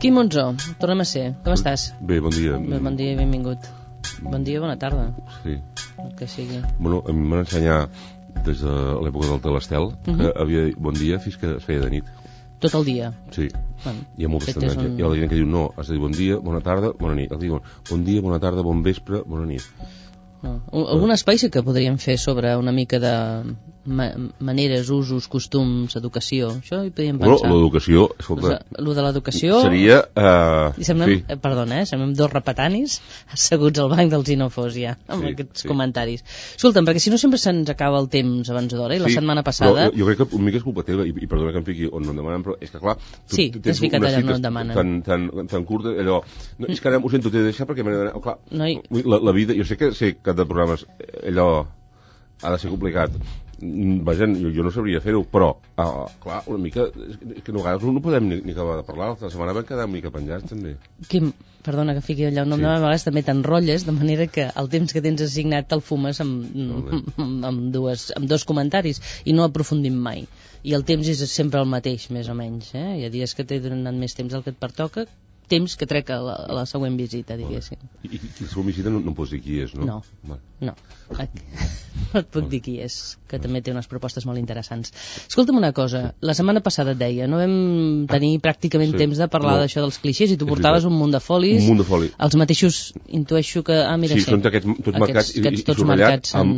Quim Monzó, tornem a ser. Com estàs? Bé, bon dia. Bon dia i benvingut. Bon dia, bona tarda. Sí. El que sigui. Bueno, a mi m'han ensenyat des de l'època del Telestel que havia dit bon dia fins que es feia de nit. Tot el dia? Sí. Bueno, hi ha moltes tendències. un... Hi ha la gent que diu no, has de dir bon dia, bona tarda, bona nit. Diuen bon dia, bona tarda, bon vespre, bona nit. No. Algun espai sí que podríem fer sobre una mica de maneres, usos, costums, educació. Això hi podríem pensar. Bueno, l'educació, escolta... Lo de l'educació... Seria... Semblem, sí. Perdona, semblem dos repetanis asseguts al banc dels Xenofós ja, amb aquests comentaris. Escolta'm, perquè si no sempre se'ns acaba el temps abans d'hora, i la setmana passada... Jo crec que una mica és culpa teva, i perdona que em fiqui on no em demanen, però és que clar... Sí, t'has ficat allà on no et demanen. Tan curta, allò... No, és que ara ho sento, t'he de deixar perquè m'he d'anar... Clar, la vida... Jo sé que de programes allò ha de ser complicat. Vaja, jo no sabria fer-ho, però clar, una mica és que a vegades no podem ni acabar de parlar. La setmana vam quedar una mica penjats també. Quim, perdona que fiqui allà un nom, a vegades també t'enrotlles, de manera que el temps que tens assignat te'l fumes amb dos comentaris i no aprofundim mai, i el temps és sempre el mateix, més o menys, Hi ha dies que t'he donat més temps del que et pertoca, temps que trec a la següent visita, diguéssim. I la següent visita no em pots dir qui és, no? No. No et puc dir qui és, que també té unes propostes molt interessants. Escolta'm una cosa, la setmana passada et deia, no vam tenir pràcticament temps de parlar d'això dels clixés, i tu portaves un munt de folis. Un munt de foli. Els mateixos, intueixo que... mira, sí, són tots tots marcats amb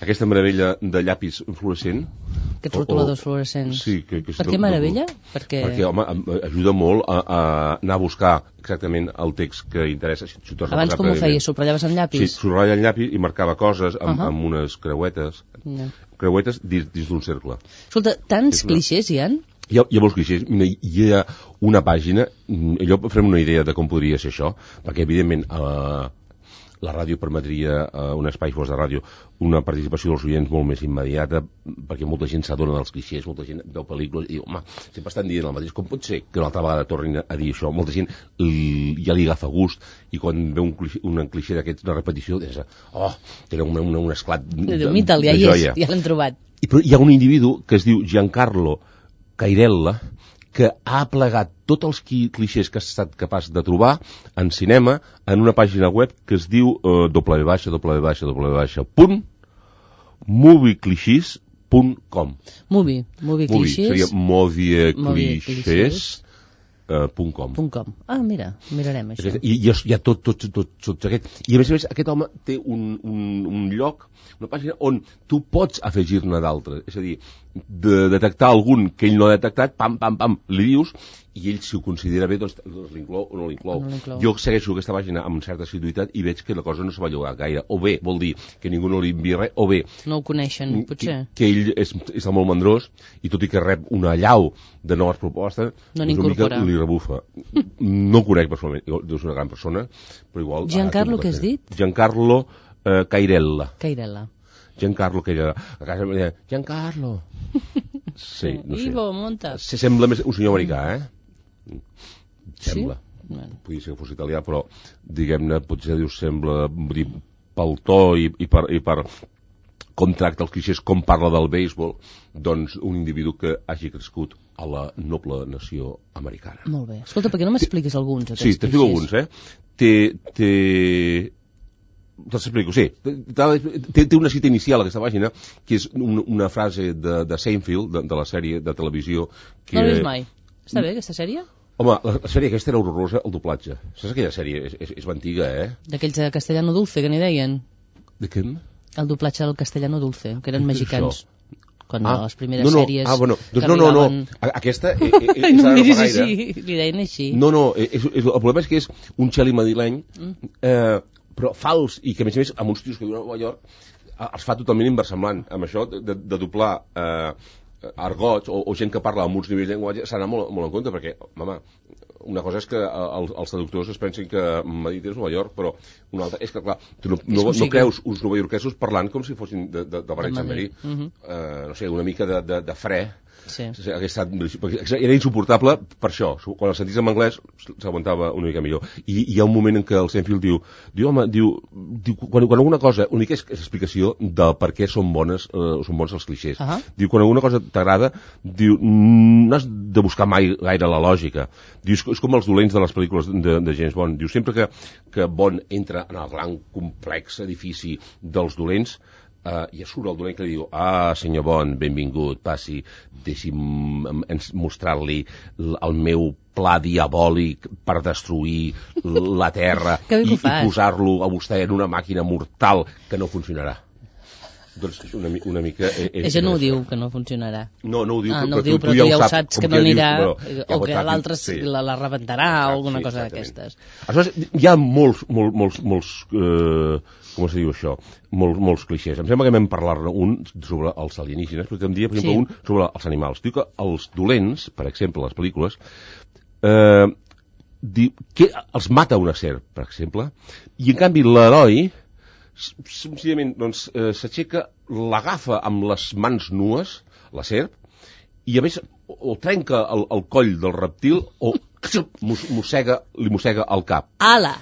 aquesta meravella de llapis fluorescent. Aquests rotuladors fluorescents. Sí. Per què meravella? Perquè, home, ajuda molt a anar a buscar exactament el text que interessa. Abans com ho feies? Subratllaves amb llapis? Sí, subratllava amb llapis i marcava coses amb unes creuetes. Creuetes dins d'un cercle. Escolta, tants clixés hi ha? Hi ha molts clixés. Hi ha una pàgina, allò farem una idea de com podria ser això, perquè evidentment la ràdio permetria, un espai fos de ràdio, una participació dels oients molt més immediata, perquè molta gent s'adona dels clixés, molta gent veu pel·lícules i diu, home, sempre estan dient el mateix, com pot ser que una altra vegada tornin a dir això? Molta gent ja li agafa gust, i quan veu un clixé d'aquests, una repetició, dius, tenen un esclat de joia. Ja l'hem trobat. Però hi ha un individu que es diu Giancarlo Cairella, que ha plegat tots els clixés que ha estat capaç de trobar en cinema en una pàgina web que es diu www.movieclichés.com. Movie clixés. Seria movieclichés.com. Mira, mirarem això. I hi ha tots aquests. I a més, aquest home té un lloc, una pàgina on tu pots afegir-ne d'altres. És a dir, de detectar algun que ell no ha detectat, pam, li dius, i ell, si ho considera bé, doncs l'inclou o no l'inclou. Jo segueixo aquesta pàgina amb certa assiduïtat i veig que la cosa no se va llogar gaire. O bé, vol dir que ningú no li envia res, o bé... No ho coneixen, potser. Que ell està molt mandrós, i tot i que rep una allau de noves propostes, no n'incorpora. Li rebufa. No el conec personalment, deu ser una gran persona, però igual... Giancarlo, què has dit? Giancarlo Cairella. Giancarlo Cairella. A casa em deia, Giancarlo. Sí, no sé. Ivo, monta. Se sembla més un senyor americà, Sembla. Sí? Podria ser que fos italià, però, diguem-ne, potser sembla pel to i per com tracta els clixés, com parla del béisbol, doncs un individu que hagi crescut a la noble nació americana. Molt bé. Escolta, per què no m'expliques alguns d'aquests clixés? Sí, t'explico alguns, Te'ls explico, sí. Té una cita inicial, aquesta pàgina, que és una frase de Seinfeld, de la sèrie de televisió... No l'he vist mai. Està bé, aquesta sèrie? Home, la sèrie aquesta era horrorosa, el doblatge. Saps aquella sèrie? És antiga, D'aquells de Castellano Dulce, que n'hi deien. De què? El doblatge del Castellano Dulce, que eren mexicans. Quan les primeres sèries... No. Aquesta és no em diris així, li deien així. No, el problema és que és un xeli madrileny, però fals, i que a més amb uns tios que viuen a Nova York els fa totalment inversemblant. Amb això de doblar argots o gent que parla amb uns nivells de llenguatge s'ha d'anar molt en compte, perquè, home, una cosa és que els traductors es pensin que Madrid és Nova York, però una altra és que, clar, tu no creus uns novaiorquesos parlant com si fossin de Parets de Madrid. No sé, una mica de fre Era insuportable per això. Quan el sentis en anglès s'aguantava una mica millor. I hi ha un moment en què el Seinfeld diu quan alguna cosa, una mica és explicació de per què són bons els clixés. Diu, quan alguna cosa t'agrada, diu, no has de buscar mai gaire la lògica. Diu, és com els dolents de les pel·lícules de James Bond. Diu, sempre que Bond entra en el gran complex edifici dels dolents, i surt el dolent que li diu, senyor Bond, benvingut, passi, deixi'm mostrar-li el meu pla diabòlic per destruir la Terra i posar-lo a vostè en una màquina mortal que no funcionarà. Doncs una mica... Això no ho diu, que no funcionarà. No ho diu, però tu ja ho saps, que no anirà, o que l'altre la rebentarà o alguna cosa d'aquestes. Aleshores, hi ha molts com es diu això? Molts clixés. Em sembla que vam parlar-ne un sobre els alienígenes, però em diria, per exemple, un sobre els animals. Diu que els dolents, per exemple, les pel·lícules, que els mata una serp, per exemple, i en canvi l'heroi senzillament s'aixeca, l'agafa amb les mans nues, la serp, i a més o trenca el coll del reptil o li mossega el cap. Ala!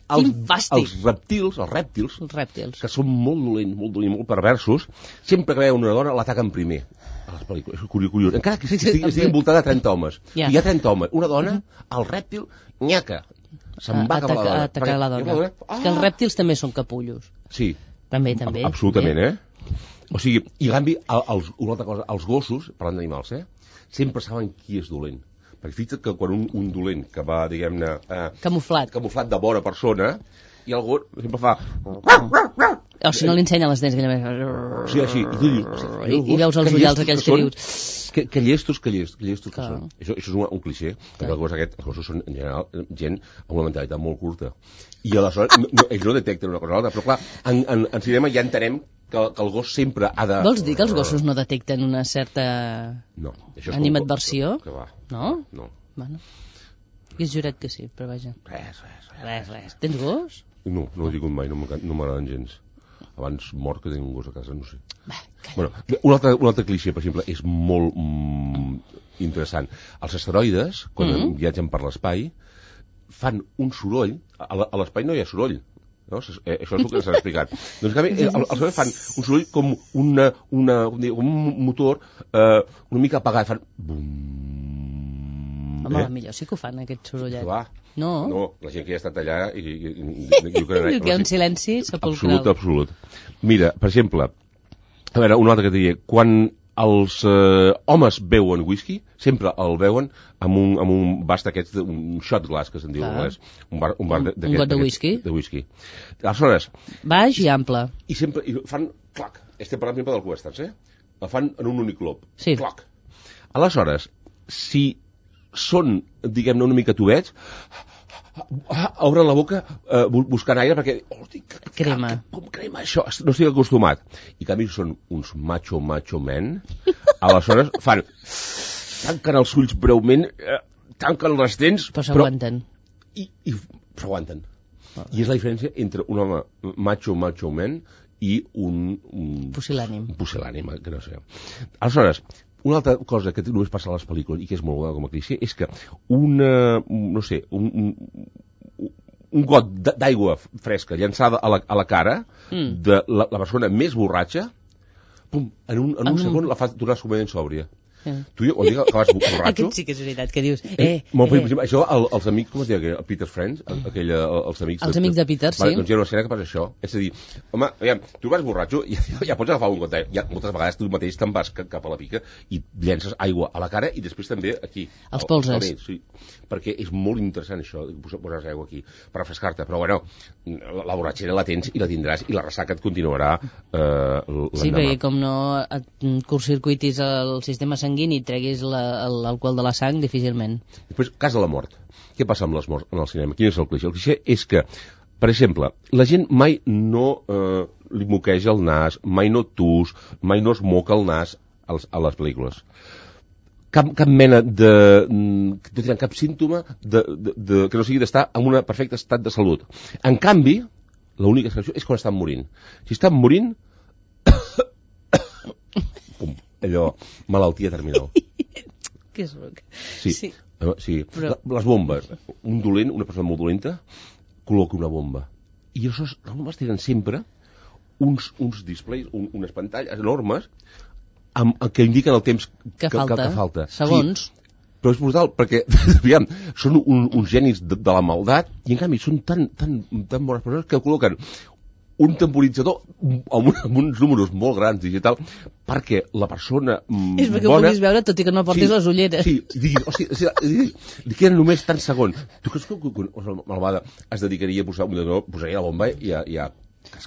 Quin fàstic! Els rèptils, que són molt dolents, molt perversos, sempre que veuen una dona l'ataquen primer a les pel·lícules. És curiós. Encara que estigui envoltada de 30 homes. Hi ha 30 homes. Una dona, el rèptil, nyaca. Se'n va cap a la dona. És que els rèptils també són capullos. Sí. També. Absolutament, O sigui, i en canvi, una altra cosa, els gossos, parlant d'animals, sempre saben qui és dolent. Perquè fixa't que quan un dolent que va, diguem-ne... Camuflat de bona persona, i el gos sempre fa... O si no li ensenya les dents, sí, així. I veus els ullals aquells que dius... Que llestos que són. Això és un clixé, perquè els gossos són, en general, gent amb una mentalitat molt curta. I aleshores, ells no detecten una cosa o l'altra, però clar, en cinema ja entenem que el gos sempre ha de... Vols dir que els gossos no detecten una certa animadversió? No? No. Bueno, hagués jurat que sí, però vaja. Res. Tens gos? No ho he tingut mai, no m'agraden gens. Abans mort que tenir un gos a casa, no sé. Bueno, un altre clixé, per exemple, és molt interessant. Els asteroides, quan viatgen per l'espai, fan un soroll. A l'espai no hi ha soroll. No? Això és el que s'ha explicat. Doncs, en canvi, els asteroides fan un soroll com un motor una mica apagat. Fan... Home, millor sí que ho fan, aquest sorollet. No, la gent que ja ha estat allà i diu que hi ha un silenci sepulcral. Absolut. Mira, per exemple, a veure, un altre que et diria, quan els homes beuen whisky, sempre el beuen amb un vas d'aquests, un shot glass, que se'n diu en anglès. Un got de whisky. Aleshores... Baix i ample. I sempre fan clac. Estem parlant sempre dels westerns, El fan en un únic glob. Sí. Clac. Aleshores, si són, diguem-ne, una mica tubets, obren la boca buscant aire perquè... Crema. Com crema això? No estic acostumat. I en canvi són uns macho men. Aleshores fan... Tanquen els ulls breument, tanquen les dents... Però s'aguanten. I s'aguanten. I és la diferència entre un home macho man i un pusil·lànim, que no sé. Aleshores, una altra cosa que només passa a les pel·lícules i que és molt bona com a clixé és que un got d'aigua fresca llançada a la cara de la persona més borratxa, pum, en un segon la fa tornar completament sòbria. Tu, o digue que vas borratxo... Aquest sí que és veritat, que dius... Això, els amics, com es diu, Peter's Friends, els amics de Peter, sí. Doncs hi ha una escena que passa això. És a dir, home, aviam, tu vas borratxo, ja pots agafar un got d'aigua. Moltes vegades tu mateix te'n vas cap a la pica i llences aigua a la cara i després també aquí. Els polses. Sí, perquè és molt interessant això, posar aigua aquí, per refrescar-te. Però, bueno, la borratxera la tens i la tindràs i la ressaca et continuarà l'endemà. Sí, perquè com no et curtcircuitis el sistema sanguini i treguis l'alcohol de la sang, difícilment. Després, cas de la mort. Què passa amb les morts en el cinema? Quin és el clixé? El clixé és que, per exemple, la gent mai no li moqueja el nas, mai no tus, mai no es moca el nas a les pel·lícules. Cap mena de... no tenen cap símptoma que no sigui d'estar en un perfecte estat de salut. En canvi, l'única excepció és quan estan morint. Si estan morint... Pum. allò, malaltia terminal. Que és ruc. Sí. Però... Les bombes. Un dolent, una persona molt dolenta, col·loca una bomba. I les bombes tenen sempre uns displays, unes pantalles enormes que indiquen el temps que falta. Segons. Sí. Però és brutal, perquè, aviam, són uns genis de la maldat, i en canvi són tan bones persones que col·loquen un temporitzador amb uns números molt grans digital, perquè la persona és perquè bona... ho puguis veure, tot i que no portis les ulleres. Sí, diguin, hòstia, li queden només tant segons. Tu creus que malvada es dedicaria a posaria la bomba i a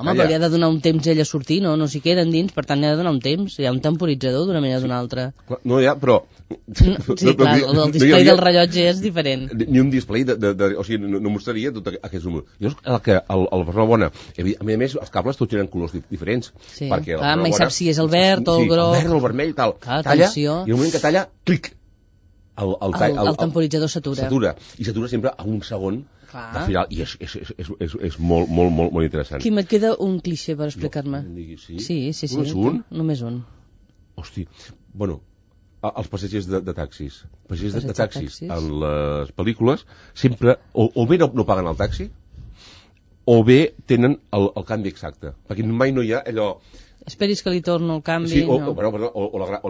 home, però li ha de donar un temps ell a sortir, no s'hi queden dins, per tant li ha de donar un temps, hi ha un temporitzador d'una manera o d'una altra. No hi ha, però... Sí, clar, el display del rellotge és diferent. Ni un display, o sigui, no mostraria tot aquests números. Llavors, la persona bona, a més, els cables tots tenen colors diferents. Sí, clar, mai saps si és el verd o el groc. El verd o el vermell, tal. Clar, talla, atenció. i al moment que talla, clic. El temporitzador s'atura. I s'atura sempre a un segon de final, i és molt interessant. Quim, et queda un clixé per explicar-me? Sí. Només un? Només un. Hosti, bueno, els passatgers de taxis. Passatgers de taxis en les pel·lícules sempre o bé no paguen el taxi o bé tenen el canvi exacte, perquè mai no hi ha allò... Esperis que li torno el canvi. Sí, o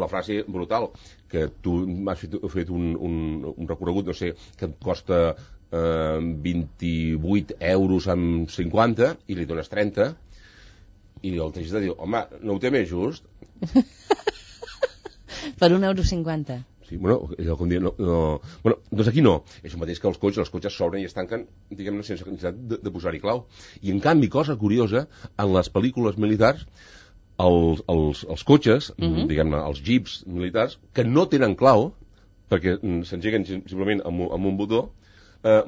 la frase brutal, que tu has fet un recorregut, no sé, que et costa 28 euros amb 50 i li dones 30 i el taxista diu, home, no ho té més just? Per 1,50 €. Sí, bueno, allò com dir, no. Bueno, doncs aquí no. És el mateix que els cotxes s'obren i es tanquen, diguem-ne, sense necessitat de posar-hi clau. I en canvi, cosa curiosa, en les pel·lícules militars, els cotxes, diguem-ne, els jeeps militars, que no tenen clau, perquè s'engeguen simplement amb un botó,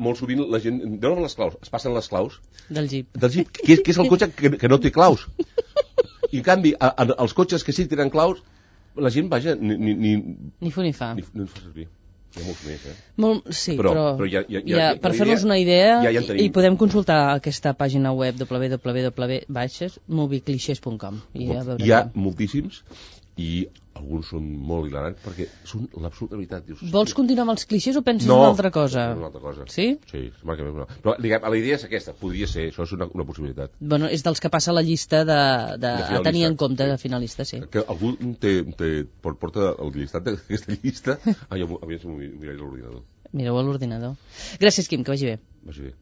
molt sovint la gent donen les claus, es passen les claus del jeep, que és el cotxe que no té claus. I en canvi, els cotxes que sí que tenen claus, la gent, vaja, ni fu ni fa. Ni fa servir. Hi ha molts més, Sí, però per fer-nos una idea, i podem consultar aquesta pàgina web www.movieclichés.com. Hi ha moltíssims, i alguns són molt hilarants perquè són l'absoluta veritat. Vols continuar amb els clixés o penses en una altra cosa? No, una altra cosa. Sí? Sí, però la idea és aquesta, podria ser, això és una possibilitat. Bueno, és dels que passa a la llista a tenir en compte, de finalista, sí. Que algú porta el llistat d'aquesta llista, aviam si m'ho miraré a l'ordinador. Mireu a l'ordinador. Gràcies, Quim, que vagi bé. Vagi bé.